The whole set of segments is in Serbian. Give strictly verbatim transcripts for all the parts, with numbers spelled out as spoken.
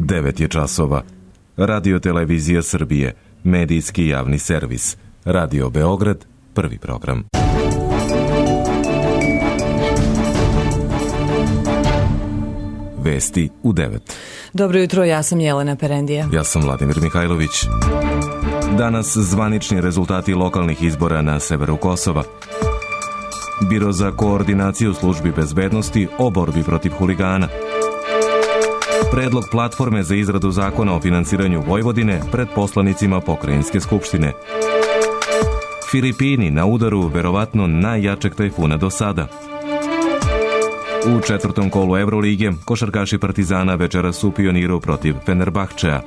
devet je časova. Radio Televizija Srbije, medijski javni servis. Radio Beograd, prvi program. Vesti u devet. Dobro jutro, ja sam Jelena Perendija. Ja sam Vladimir Mihajlović. Danas zvanični rezultati lokalnih izbora na severu Kosova. Biro za koordinaciju službi bezbednosti o borbi protiv huligana. Predlog platforme za izradu zakona o finansiranju Vojvodine pred poslanicima Pokrajinske skupštine. Filipini na udaru verovatno najjačeg tajfuna do sada. U četvrtom kolu Evrolige košarkaši Partizana večeras su u Pioniru protiv Fenerbahčea.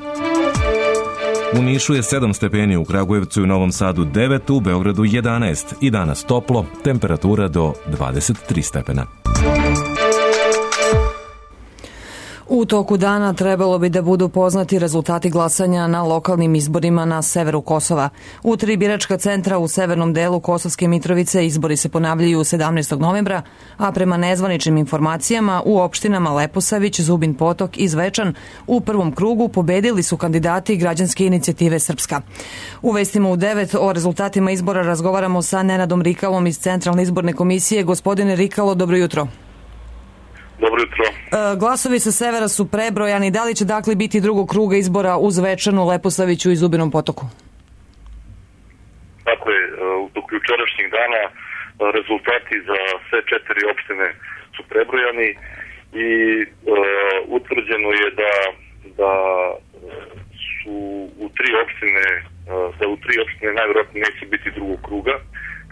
U Nišu je sedam stepeni, u Kragujevcu i Novom Sadu devet, u Beogradu jedanaest i danas toplo, temperatura do dvadeset tri stepena. U toku dana trebalo bi da budu poznati rezultati glasanja na lokalnim izborima na severu Kosova. U tri biračka centra u severnom delu Kosovske Mitrovice izbori se ponavljaju sedamnaestog novembra, a prema nezvaničnim informacijama u opštinama Leposavić, Zubin Potok i Zvečan u prvom krugu pobedili su kandidati Građanske inicijative Srpska. U vestima u devet o rezultatima izbora razgovaramo sa Nenadom Rikalom iz Centralne izborne komisije. Gospodine Rikalo, dobro jutro. Dobro jutro. E, glasovi sa severa su prebrojani. Da li će dakle biti drugog kruga izbora u Zvečanu, Leposaviću i Zubinom Potoku? Tako je. U toku jučerašnjeg dana rezultati za sve četiri opštine su prebrojani i e, utvrđeno je da, da su u tri opštine da u tri opštine najverovatnije neće biti drugog kruga.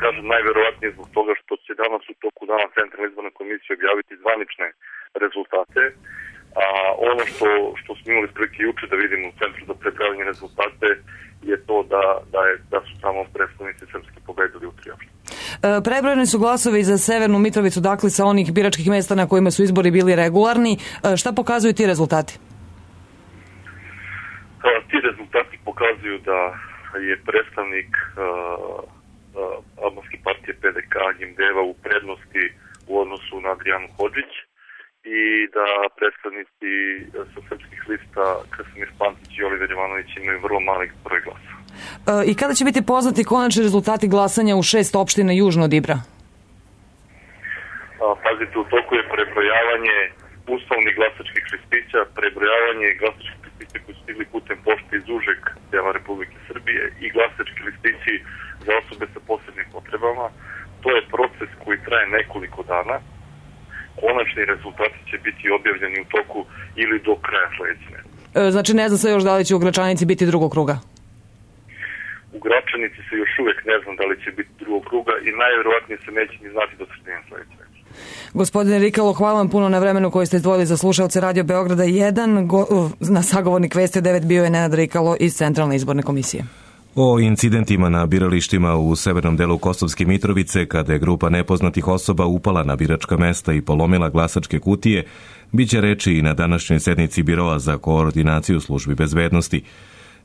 Kažem najverovatnije zbog toga što će danas u toku dana Centralna izborna komisija objaviti zvanične rezultate, a ono što, što smo imali prilike juče da vidimo u Centru za prebrojavanje rezultate je to da, da, je, da su samo predstavnici Srpske pobedili u tri opštine. E, prebrojeni su glasovi za Severnu Mitrovicu, dakle sa onih biračkih mesta na kojima su izbori bili regularni. E, šta pokazuju ti rezultati? A, ti rezultati pokazuju da je predstavnik a, albanske partije P D K Gimdeva u prednosti u odnosu na Adrijanu Hodžić i da predstavnici sa srpskih lista Krasimir Pantić i Oliver Jovanović imaju vrlo mali broj glasa. E, I kada će biti poznati konačni rezultati glasanja u šest opština južno od Ibra? A, pazite, u toku je prebrojavanje uslovnih glasačkih listića, prebrojavanje glasačkih listića koji su stigli putem pošte iz užeg dela Republike Srbije i glasački listići za osobe sa posebnim potrebama. To je proces koji traje nekoliko dana. Konačni rezultati će biti objavljeni u toku ili do kraja sledeće. E, znači ne zna se još da li će u Gračanici biti drugog kruga? U Gračanici se još uvek ne znam da li će biti drugog kruga i najverovatnije se neće ni znati do sredine sledeće. Gospodine Rikalo, hvala vam puno na vremenu koje ste izdvojili za slušalce Radio Beograda jedan. Go, na sagovornik Vesti devet bio je Nenad Rikalo iz Centralne izborne komisije. O incidentima na biralištima u severnom delu Kosovske Mitrovice, kada je grupa nepoznatih osoba upala na biračka mesta i polomila glasačke kutije, biće reči i na današnjoj sednici Biroa za koordinaciju službi bezbednosti.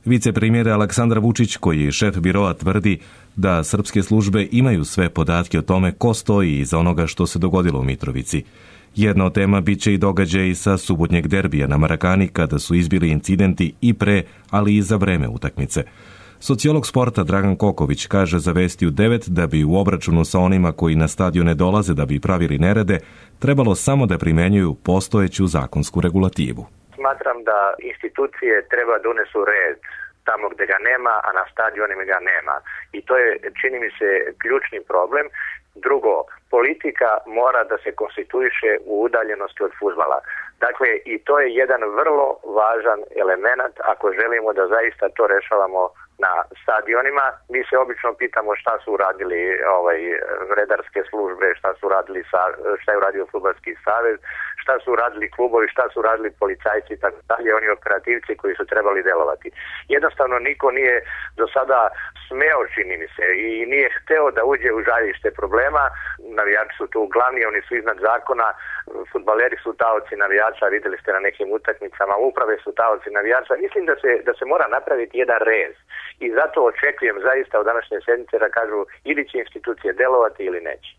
Vicepremjer Aleksandar Vučić, koji je šef Biroa, tvrdi da srpske službe imaju sve podatke o tome ko stoji iza onoga što se dogodilo u Mitrovici. Jedna od tema biće i događaj sa subotnjeg derbija na Marakani, kada su izbili incidenti i pre, ali i za vreme utakmice. Sociolog sporta Dragan Koković kaže za Vesti u devet da bi u obračunu sa onima koji na stadione dolaze da bi pravili nerede, trebalo samo da primenjuju postojeću zakonsku regulativu. Smatram da institucije treba da unesu red tamo gde ga nema, a na stadionima ga nema. I to je, čini mi se, ključni problem. Drugo, politika mora da se konstituiše u udaljenosti od fudbala. Dakle, i to je jedan vrlo važan element ako želimo da zaista to rešavamo na stadionima. Mi se obično pitamo šta su uradili ovaj, redarske službe, šta su uradili, šta je uradio Fudbalski savez, šta su uradili klubovi, šta su uradili policajci i tako dalje, oni operativci koji su trebali delovati. Jednostavno niko nije do sada smeo, čini mi se, i nije hteo da uđe u žarište problema. Navijači su tu glavni, oni su iznad zakona, fudbaleri su taoci navijača, videli ste na nekim utakmicama, uprave su taoci navijača. Mislim da se, da se mora napraviti jedan rez i zato očekujem zaista u današnje sedmice da kažu ili će institucije delovati ili neće.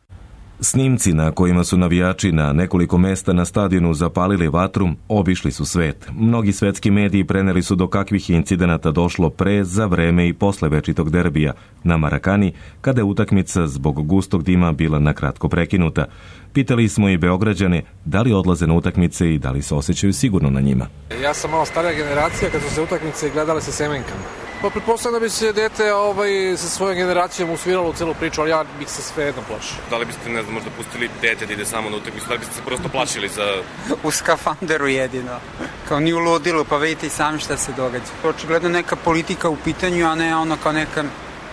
Snimci na kojima su navijači na nekoliko mesta na stadionu zapalili vatru obišli su svet. Mnogi svetski mediji preneli su do kakvih incidenata došlo pre, za vreme i posle večitog derbija na Marakani, kada je utakmica zbog gustog dima bila nakratko prekinuta. Pitali smo i Beograđane da li odlaze na utakmice i da li se osjećaju sigurno na njima. Ja sam malo starija generacija, kad su se utakmice gledale sa semenkama. Pa pretpostavljam da bi se dete ovaj, sa svojom generacijom usviralo u celu priču, ali ja bih se sve jedno plašio. Da li biste, ne znam, možda pustili dete da ide samo na utakmicu, da li biste se prosto plašili za... U skafanderu jedino, kao ni u ludilu, pa vidite i sami šta se događa. Očigledno neka politika u pitanju, a ne ono kao neka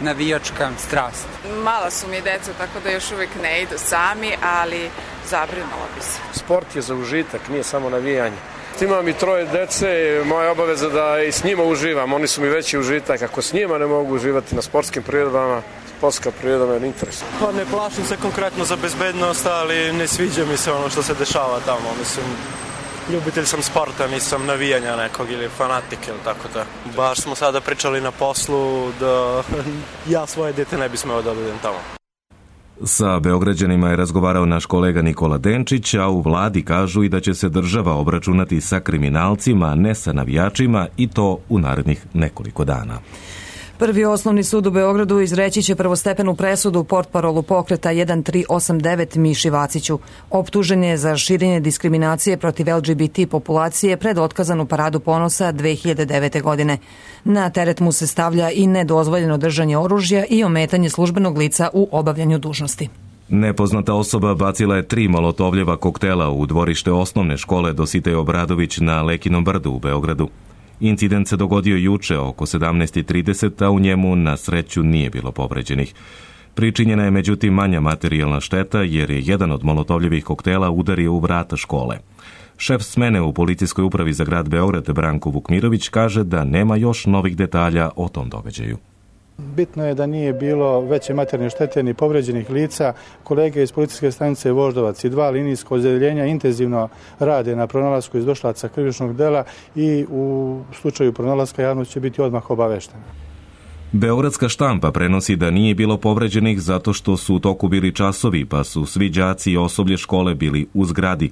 navijačka strast. Mala su mi deca, tako da još uvijek ne idu sami, ali zabrinula bi se. Sport je za užitak, nije samo navijanje. Imam i troje dece, moja obaveza da i s njima uživam, oni su mi veći užitak. Ako s njima ne mogu uživati na sportskim priredbama, sportska priroda me ne interesuje. Pa ne plašim se konkretno za bezbednost, ali ne sviđa mi se ono što se dešava tamo. Mislim, ljubitelj sam sporta, nisam navijanja nekog ili fanatik ili tako da. Baš smo sada pričali na poslu da ja svoje dete ne bi smeo da budem tamo. Sa Beograđanima je razgovarao naš kolega Nikola Denčić, a u vladi kažu i da će se država obračunati sa kriminalcima, ne sa navijačima, i to u narednih nekoliko dana. Prvi osnovni sud u Beogradu izreći će prvostepenu presudu portparolu pokreta jedan tri osam devet Miši Vaciću. Optužen je za širenje diskriminacije protiv L G B T populacije pred otkazanu paradu ponosa dve hiljade devete. godine. Na teret mu se stavlja i nedozvoljeno držanje oružja i ometanje službenog lica u obavljanju dužnosti. Nepoznata osoba bacila je tri molotovljeva koktela u dvorište osnovne škole Dositej Obradović na Lekinom brdu u Beogradu. Incident se dogodio juče oko sedamnaest i trideset, a u njemu na sreću nije bilo povređenih. Pričinjena je međutim manja materijalna šteta jer je jedan od molotovljevih koktela udario u vrata škole. Šef smene u policijskoj upravi za grad Beograd Branko Vukmirović kaže da nema još novih detalja o tom događaju. Bitno je da nije bilo veće materijalne štete ni povređenih lica. Kolege iz policijske stanice Voždovac i dva linijska odeljenja intenzivno rade na pronalasku izdošlaca krivičnog dela i u slučaju pronalaska javnost će biti odmah obaveštena. Beogradska štampa prenosi da nije bilo povređenih zato što su u toku bili časovi, pa su svi đaci i osoblje škole bili u zgradi.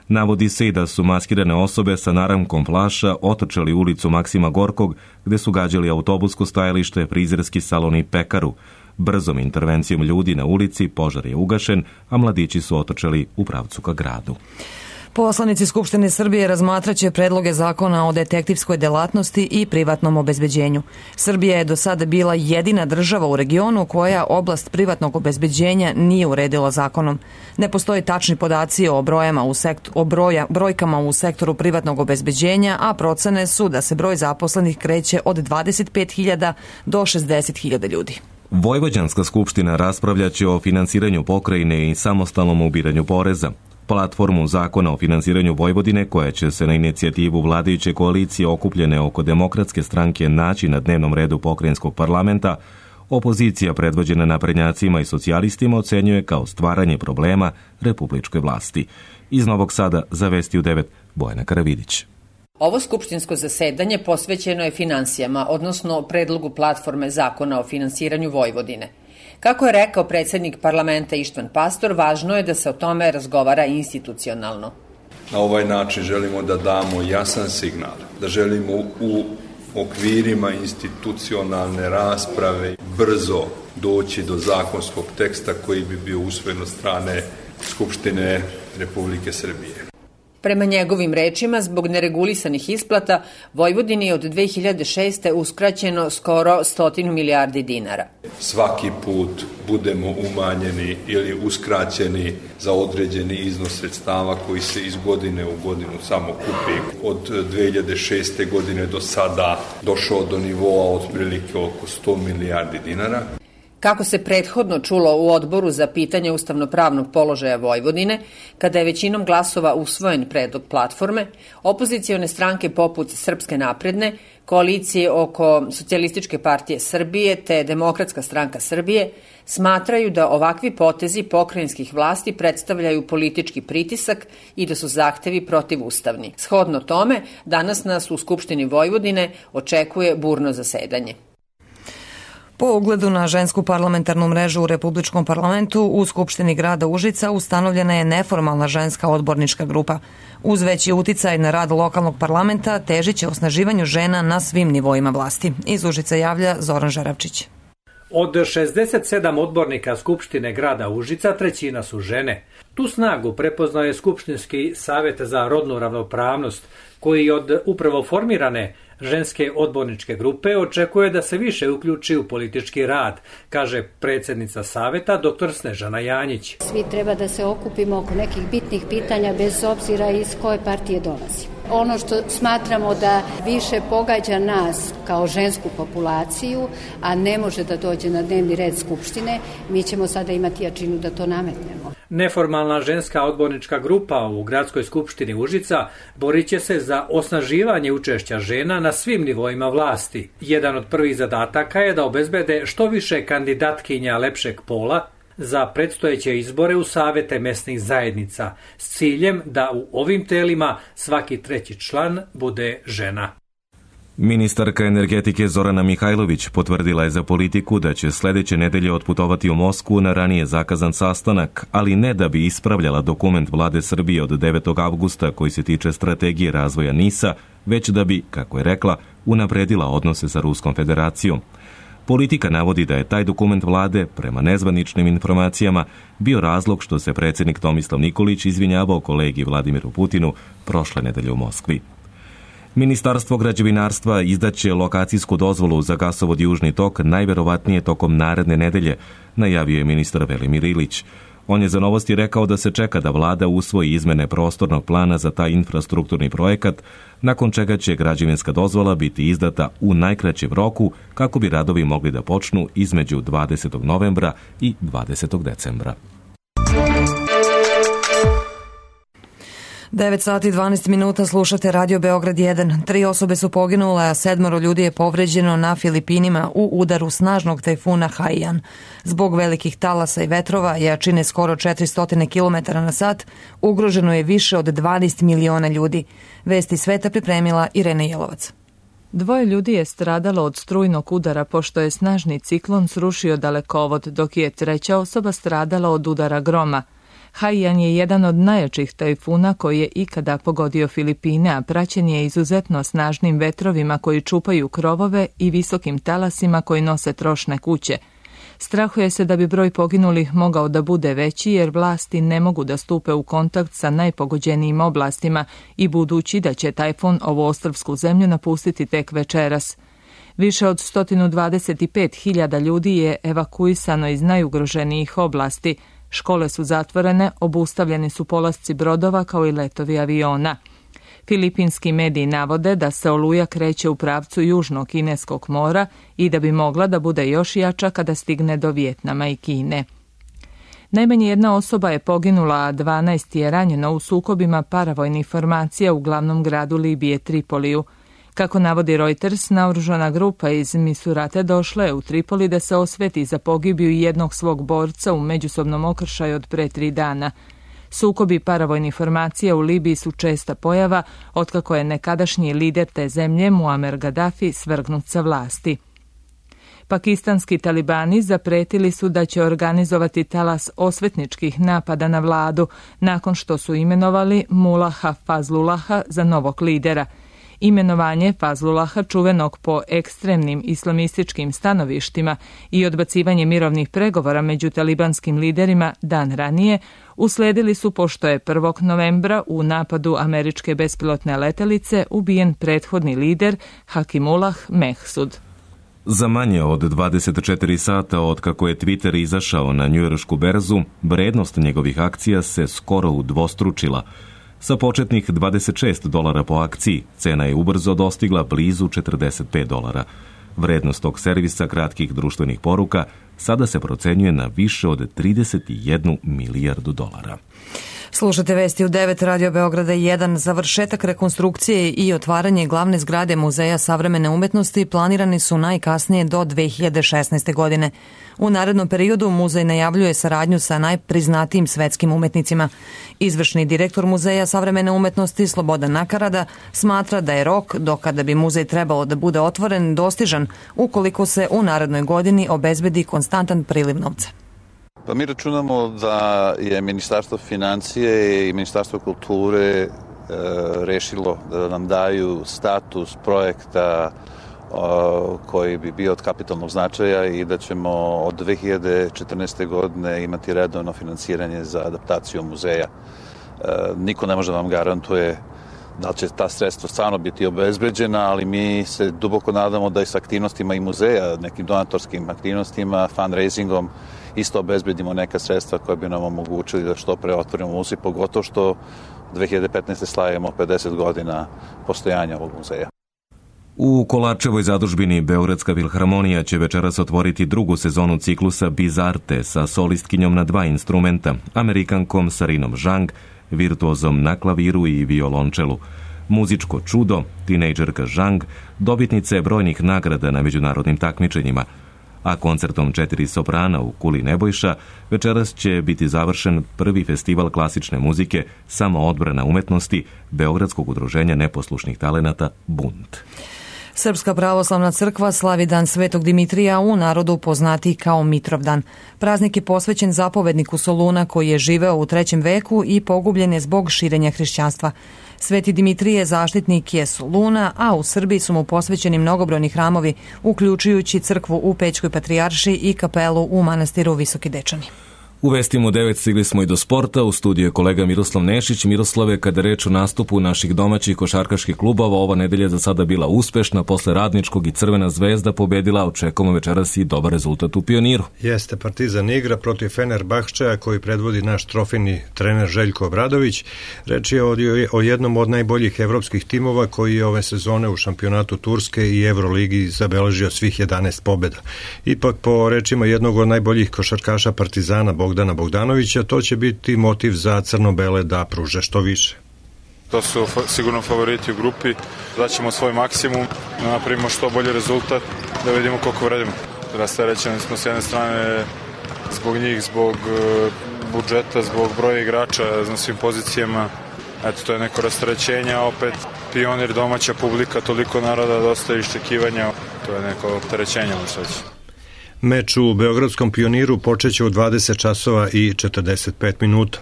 Navodi se i da su maskirane osobe sa naramkom flaša otrčali ulicu Maksima Gorkog, gde su gađali autobusko stajalište, frizerski salon i pekaru. Brzom intervencijom ljudi na ulici požar je ugašen, a mladići su otrčali u pravcu ka gradu. Poslanici Skupštine Srbije razmatraće predloge zakona o detektivskoj delatnosti i privatnom obezbeđenju. Srbija je do sada bila jedina država u regionu koja oblast privatnog obezbeđenja nije uredila zakonom. Ne postoji tačni podaci o, brojama u sektor, o broja, brojkama u sektoru privatnog obezbeđenja, a procene su da se broj zaposlenih kreće od dvadeset pet hiljada do šezdeset hiljada ljudi. Vojvođanska skupština raspravljaće o finansiranju pokrajine i samostalnom ubiranju poreza. Platformu zakona o finansiranju Vojvodine, koja će se na inicijativu vladajuće koalicije okupljene oko Demokratske stranke naći na dnevnom redu pokrajinskog parlamenta, opozicija predvođena naprednjacima i socijalistima ocenjuje kao stvaranje problema republičkoj vlasti. Iz Novog Sada za Vesti u devet Bojana Karavidić. Ovo skupštinsko zasedanje posvećeno je finansijama, odnosno predlogu platforme zakona o finansiranju Vojvodine. Kako je rekao predsjednik parlamenta Ištvan Pastor, važno je da se o tome razgovara institucionalno. Na ovaj način želimo da damo jasan signal, da želimo u okvirima institucionalne rasprave brzo doći do zakonskog teksta koji bi bio usvojen od strane Skupštine Republike Srbije. Prema njegovim rečima, zbog neregulisanih isplata, Vojvodini je od dve hiljade šeste. uskraćeno skoro stotinu milijardi dinara. Svaki put budemo umanjeni ili uskraćeni za određeni iznos sredstava koji se iz godine u godinu samo kupi. Od dve hiljade šeste. godine do sada došao do nivoa otprilike oko sto milijardi dinara. Kako se prethodno čulo u odboru za pitanje ustavnopravnog položaja Vojvodine, kada je većinom glasova usvojen predlog platforme, opozicione stranke poput Srpske napredne, koalicije oko Socijalističke partije Srbije te Demokratska stranka Srbije smatraju da ovakvi potezi pokrajinskih vlasti predstavljaju politički pritisak i da su zahtevi protivustavni. Shodno tome, danas nas u Skupštini Vojvodine očekuje burno zasedanje. Po ugledu na žensku parlamentarnu mrežu u Republičkom parlamentu, u Skupštini grada Užica ustanovljena je neformalna ženska odbornička grupa. Uz veći uticaj na rad lokalnog parlamenta težit će osnaživanju žena na svim nivoima vlasti. Iz Užica javlja Zoran Žaravčić. Od šezdeset sedam odbornika Skupštine grada Užica, trećina su žene. Tu snagu prepoznao je Skupštinski savjet za rodnu ravnopravnost, koji od upravo formirane ženske odborničke grupe očekuje da se više uključi u politički rad, kaže predsjednica savjeta dr. Snežana Janjić. Svi treba da se okupimo oko nekih bitnih pitanja bez obzira iz koje partije dolazi. Ono što smatramo da više pogađa nas kao žensku populaciju, a ne može da dođe na dnevni red Skupštine, mi ćemo sada imati jačinu da to nametnemo. Neformalna ženska odbornička grupa u Gradskoj skupštini Užica borit će se za osnaživanje učešća žena na svim nivoima vlasti. Jedan od prvih zadataka je da obezbede što više kandidatkinja lepšeg pola za predstojeće izbore u savete mesnih zajednica s ciljem da u ovim telima svaki treći član bude žena. Ministarka energetike Zorana Mihajlović potvrdila je za Politiku da će sljedeće nedelje otputovati u Moskvu na ranije zakazan sastanak, ali ne da bi ispravljala dokument vlade Srbije od devetog avgusta koji se tiče strategije razvoja NIS-a, već da bi, kako je rekla, unapredila odnose sa Ruskom federacijom. Politika navodi da je taj dokument vlade, prema nezvaničnim informacijama, bio razlog što se predsjednik Tomislav Nikolić izvinjavao kolegi Vladimiru Putinu prošle nedelje u Moskvi. Ministarstvo građevinarstva izdaće lokacijsku dozvolu za gasovod Južni tok najverovatnije tokom naredne nedelje, najavio je ministar Velimir Ilić. On je za Novosti rekao da se čeka da vlada usvoji izmene prostornog plana za taj infrastrukturni projekat, nakon čega će građevinska dozvola biti izdata u najkraćem roku kako bi radovi mogli da počnu između dvadesetog novembra i dvadesetog decembra. devet sati i dvanaest minuta slušate Radio Beograd jedan. Tri osobe su poginule, a sedmoro ljudi je povređeno na Filipinima u udaru snažnog tajfuna Haiyan. Zbog velikih talasa i vetrova, jačine skoro četiristo kilometara na sat, ugroženo je više od dvanaest miliona ljudi. Vesti sveta pripremila Irena Jelovac. Dvoje ljudi je stradalo od strujnog udara pošto je snažni ciklon srušio dalekovod, dok je treća osoba stradala od udara groma. Haiyan je jedan od najjačih tajfuna koji je ikada pogodio Filipine, a praćen je izuzetno snažnim vetrovima koji čupaju krovove i visokim talasima koji nose trošne kuće. Strahuje se da bi broj poginulih mogao da bude veći jer vlasti ne mogu da stupe u kontakt sa najpogođenijim oblastima i budući da će tajfun ovu ostrvsku zemlju napustiti tek večeras. Više od sto dvadeset pet hiljada ljudi je evakuisano iz najugroženijih oblasti. Škole su zatvorene, obustavljeni su polasci brodova kao i letovi aviona. Filipinski mediji navode da se oluja kreće u pravcu Južnog Kineskog mora i da bi mogla da bude još jača kada stigne do Vijetnama i Kine. Najmanje jedna osoba je poginula, a dvanaest je ranjeno u sukobima paravojnih formacija u glavnom gradu Libije Tripoliju. Kako navodi Reuters, naoružana grupa iz Misurate došla je u Tripoli da se osveti za pogibiju jednog svog borca u međusobnom okršaju od pre tri dana. Sukobi paravojnih formacija u Libiji su česta pojava, otkako je nekadašnji lider te zemlje Muammar Gaddafi svrgnut sa vlasti. Pakistanski talibani zapretili su da će organizovati talas osvetničkih napada na vladu nakon što su imenovali Mullaha Fazlullaha za novog lidera. Imenovanje Fazlullaha, čuvenog po ekstremnim islamističkim stanovištima, i odbacivanje mirovnih pregovora među talibanskim liderima dan ranije usledili su pošto je prvog novembra u napadu američke bespilotne letelice ubijen prethodni lider Hakimullah Mehsud. Za manje od dvadeset četiri sata od kako je Twitter izašao na njujoršku berzu, vrednost njegovih akcija se skoro udvostručila. Sa početnih dvadeset šest dolara po akciji, cena je ubrzo dostigla blizu četrdeset pet dolara. Vrednost tog servisa kratkih društvenih poruka sada se procenjuje na više od trideset jednu milijardu dolara. Slušate vesti u devet, Radio Beograda jedan. Završetak rekonstrukcije i otvaranje glavne zgrade Muzeja savremene umetnosti planirani su najkasnije do dve hiljade šesnaeste. godine. U narednom periodu muzej najavljuje saradnju sa najpriznatijim svetskim umetnicima. Izvršni direktor Muzeja savremene umetnosti Slobodan Nakarada smatra da je rok do kada bi muzej trebalo da bude otvoren dostižan ukoliko se u narednoj godini obezbedi konstantan priliv novca. Pa mi računamo da je Ministarstvo financije i Ministarstvo kulture e, rešilo da nam daju status projekta o, koji bi bio od kapitalnog značaja i da ćemo od dve hiljade četrnaeste. godine imati redovno finansiranje za adaptaciju muzeja. E, niko ne može da vam garantuje da li će ta sredstva stvarno biti obezbeđena, ali mi se duboko nadamo da i sa aktivnostima i muzeja, nekim donatorskim aktivnostima, fundraisingom, isto obezbedimo neka sredstva koja bi nam omogućili da što pre otvorimo muzej, pogotovo što dve hiljade petnaeste. slavimo pedeset godina postojanja ovog muzeja. U Kolarčevoj zadužbini Beogradska filharmonija će večeras otvoriti drugu sezonu ciklusa Bizarte sa solistkinjom na dva instrumenta, Amerikankom Sarinom Zhang, virtuozom na klaviru i violončelu. Muzičko čudo, tinejdžerka Zhang, dobitnica je brojnih nagrada na međunarodnim takmičenjima, a koncertom četiri soprana u Kuli Nebojša večeras će biti završen prvi festival klasične muzike Samoodbrana umetnosti Beogradskog udruženja neposlušnih talenata Bunt. Srpska pravoslavna crkva slavi dan Svetog Dimitrija, u narodu poznatiji kao Mitrovdan. Praznik je posvećen zapovedniku Soluna koji je živeo u trećem veku i pogubljen je zbog širenja hrišćanstva. Sveti Dimitrije zaštitnik je Soluna, a u Srbiji su mu posvećeni mnogobrojni hramovi, uključujući crkvu u Pećkoj patrijaršiji i kapelu u manastiru Visoki Dečani. U vestima u devet stigli smo i do sporta. U studiju je kolega Miroslav Nešić. Miroslave, kada reč o nastupu naših domaćih košarkaških klubova, ova nedelja za sada bila uspešna. Posle Radničkog i Crvena zvezda pobedila, očekujemo večeras i dobar rezultat u Pioniru. Jeste, Partizan igra protiv Fenerbahčeja koji predvodi naš trofejni trener Željko Obradović. Reč je o, o jednom od najboljih evropskih timova koji je ove sezone u šampionatu Turske i Evroligi zabeležio svih jedanaest pobjeda. Ipak, po rečima jednog od najboljih košarkaša Partizana, Bogdana Bogdanovića, to će biti motiv za crno-bele da pruže što više. To su sigurno favoriti u grupi, daćemo svoj maksimum, da napravimo što bolji rezultat, da vidimo koliko vredimo. Rasterećeni smo s jedne strane zbog njih, zbog budžeta, zbog broja igrača na svim pozicijama. Eto, to je neko rasterećenje, a opet Pionir, domaća publika, toliko naroda, dosta iščekivanja, to je neko opterećenje, možda reći. Meč u Beogradskom Pioniru počeće u dvadeset časova i četrdeset pet minuta.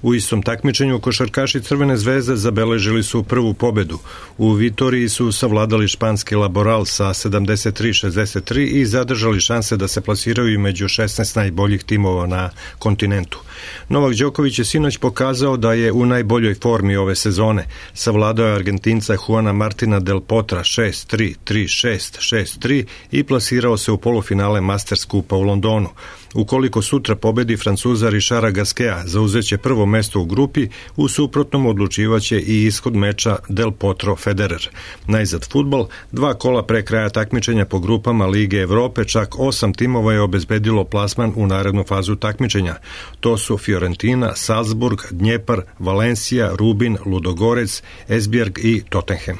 U istom takmičenju košarkaši Crvene zvezde zabeležili su prvu pobedu. U Vitoriji su savladali španski Laboral sa sedamdeset tri šezdeset tri i zadržali šanse da se plasiraju među šesnaest najboljih timova na kontinentu. Novak Đoković je sinoć pokazao da je u najboljoj formi ove sezone. Savladao je Argentinca Juana Martina del Potra šest tri, tri šest, šest tri i plasirao se u polufinale Masters Kupa u Londonu. Ukoliko sutra pobedi Francuza Richarda Gasqueta, zauzeće prvo mesto u grupi, u suprotnom odlučivaće i ishod meča Del Potro Federer. Najzad fudbal, dva kola pre kraja takmičenja po grupama Lige Evrope, čak osam timova je obezbedilo plasman u narednu fazu takmičenja. To su Fiorentina, Salzburg, Dnjepar, Valencija, Rubin, Ludogorec, Esbjerg i Tottenham.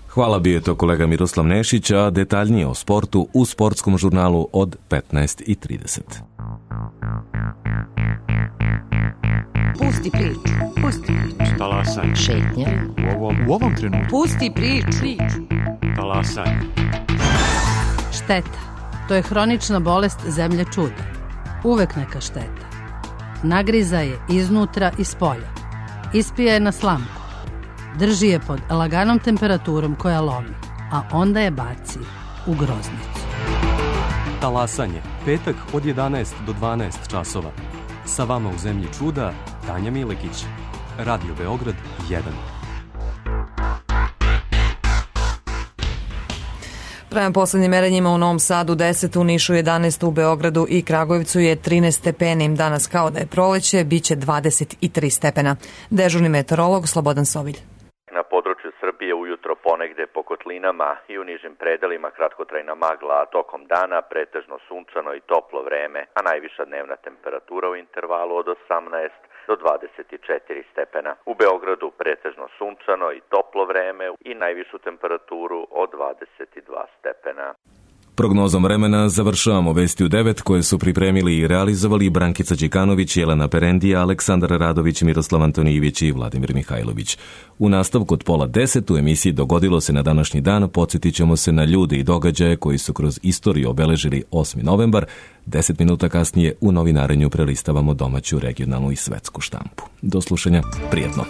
Hvala, bio je to kolega Miroslav Nešić, a detaljnije o sportu u sportskom žurnalu od petnaest i trideset. Pusti priču, pusti priču. Talasaj. Šetnja. U ovom, u ovom trenutku. Pusti priču. Talasaj. Šteta. To je hronična bolest zemlje čuda. Uvek neka šteta. Nagriza je iznutra i spolja. Ispija je na slamku. Drži je pod laganom temperaturom koja lomi, a onda je baci u groznicu. Talasanje. Petak od jedanaest do dvanaest časova. Sa vama u zemlji čuda, Tanja Milekić. Radio Beograd jedan. Prema poslednjim merenjima u Novom Sadu deset, u Nišu jedanaest, u Beogradu i Kragujevcu je trinaest stepeni. Danas kao da je proleće, bit će dvadeset tri stepena. Dežurni meteorolog Slobodan Sovilj. Na području Srbije ujutro ponegde po kotlinama i u nižim predelima kratkotrajna magla, a tokom dana pretežno sunčano i toplo vreme, a najviša dnevna temperatura u intervalu od osamnaest do dvadeset četiri stepena. U Beogradu pretežno sunčano i toplo vreme i najvišu temperaturu od dvadeset dva stepena. Prognozom vremena završavamo vesti u devet koje su pripremili i realizovali Brankica Đikanović, Jelena Perendija, Aleksandar Radović, Miroslav Antonijević i Vladimir Mihajlović. U nastavku od pola deset u emisiji Dogodilo se na današnji dan podsjetit ćemo se na ljude i događaje koji su kroz istoriju obeležili osmi novembar. Deset minuta kasnije u novinarenju prelistavamo domaću, regionalnu i svetsku štampu. Do slušanja, prijatno.